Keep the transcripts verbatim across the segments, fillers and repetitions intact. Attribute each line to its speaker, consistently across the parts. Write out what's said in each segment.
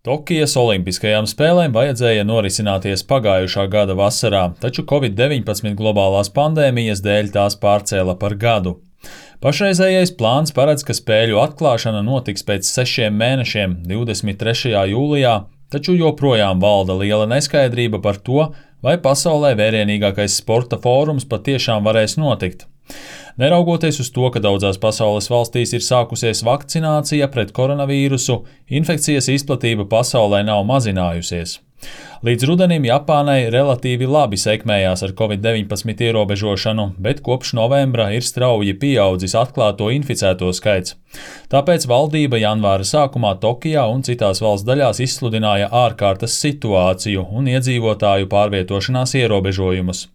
Speaker 1: Tokijas olimpiskajām spēlēm vajadzēja norisināties pagājušā gada vasarā, taču covid deviņpadsmit globālās pandēmijas dēļ tās pārcēla par gadu. Pašreizējais plāns paredz, ka spēļu atklāšana notiks pēc sešiem mēnešiem, divdesmit trešajā jūlijā, taču joprojām valda liela neskaidrība par to, vai pasaulē vērienīgākais sporta fórums patiešām varēs notikt. Neraugoties uz to, ka daudzās pasaules valstīs ir sākusies vakcinācija pret koronavīrusu, infekcijas izplatība pasaulē nav mazinājusies. Līdz rudenim Japānai relatīvi labi sekmējās ar covid deviņpadsmit ierobežošanu, bet kopš novembra ir strauji pieaudzis atklāto inficēto skaits. Tāpēc valdība janvāra sākumā Tokijā un citās valsts daļās izsludināja ārkārtas situāciju un iedzīvotāju pārvietošanās ierobežojumus.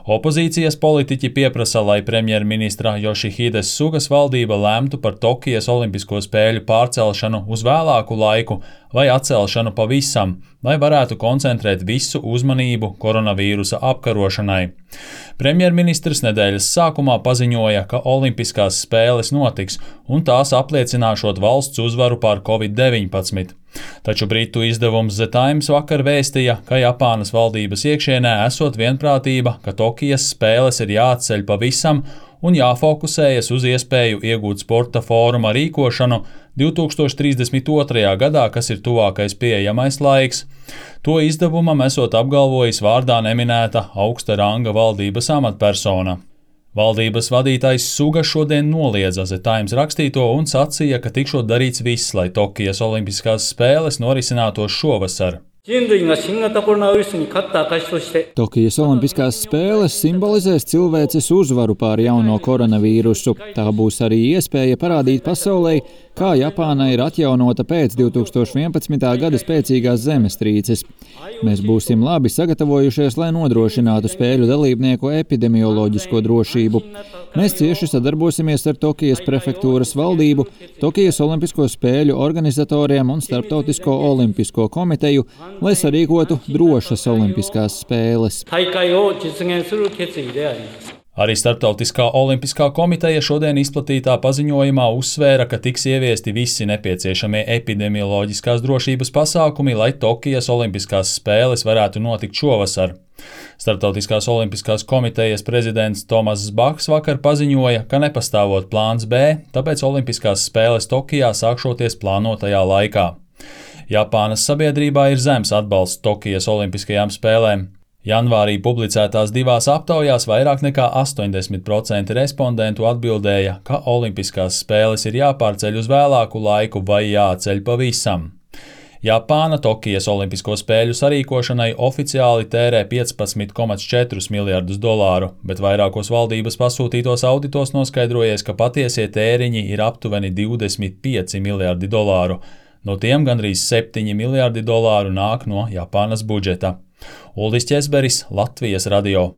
Speaker 1: Opozīcijas politiķi pieprasa, lai premjerministra Jošihides Sugas valdība lemtu par Tokijas olimpisko spēļu pārcelšanu uz vēlāku laiku vai atcelšanu pavisam, lai varētu koncentrēt visu uzmanību koronavīrusa apkarošanai. Premjerministrs nedēļas sākumā paziņoja, ka olimpiskās spēles notiks un tās apliecināšot valsts uzvaru pār covid deviņpadsmit. Taču britu izdevums The Times vakar vēstīja, ka Japānas valdības iekšienē esot vienprātība, ka Tokijas spēles ir jāatceļ pavisam un jāfokusējas uz iespēju iegūt sporta fóruma rīkošanu divi tūkstoši trīsdesmit otrajā gadā, kas ir tuvākais pieejamais laiks. To izdevumam esot apgalvojis vārdā neminēta augsta ranga valdības amatpersona. Valdības vadītājs Suga šodien noliedza The Times rakstīto un sacīja, ka tikšot darīts viss, lai Tokijas olimpiskās spēles norisinātos šovasar.
Speaker 2: Tokijas olimpiskās spēles simbolizēs cilvēces uzvaru pār jauno koronavīrusu. Tā būs arī iespēja parādīt pasaulei, kā Japāna ir atjaunota pēc divi tūkstoši vienpadsmitā gada spēcīgās zemestrīces. Mēs būsim labi sagatavojušies, lai nodrošinātu spēļu dalībnieku epidemioloģisko drošību. Mēs cieši sadarbosimies ar Tokijas prefektūras valdību, Tokijas olimpisko spēļu organizatoriem un Starptautisko olimpisko komiteju, lai sarīkotu drošas olimpiskās spēles.
Speaker 1: Arī Starptautiskā olimpiskā komiteja šodien izplatītā paziņojumā uzsvēra, ka tiks ieviesti visi nepieciešamie epidemioloģiskās drošības pasākumi, lai Tokijas olimpiskās spēles varētu notikt šovasar. Starptautiskās olimpiskās komitejas prezidents Tomass Bachs vakar paziņoja, ka nepastāvot plāns B, tāpēc olimpiskās spēles Tokijā sākšoties plānotajā laikā. Japānas sabiedrībā ir zems atbalsts Tokijas olimpiskajām spēlēm. Janvārī publicētās divās aptaujās vairāk nekā astoņdesmit procenti respondentu atbildēja, ka olimpiskās spēles ir jāpārceļ uz vēlāku laiku vai jāceļ pavisam. Japāna Tokijas olimpisko spēļu sarīkošanai oficiāli tērē piecpadsmit komats četrus miljardus dolāru, bet vairākos valdības pasūtītos auditos noskaidrojies, ka patiesie tēriņi ir aptuveni divdesmit pieci miljardi dolāru. No tiem gandrīz septiņi miljardi dolāru nāk no Japānas budžeta. Uldis Ķesberis, Latvijas radio.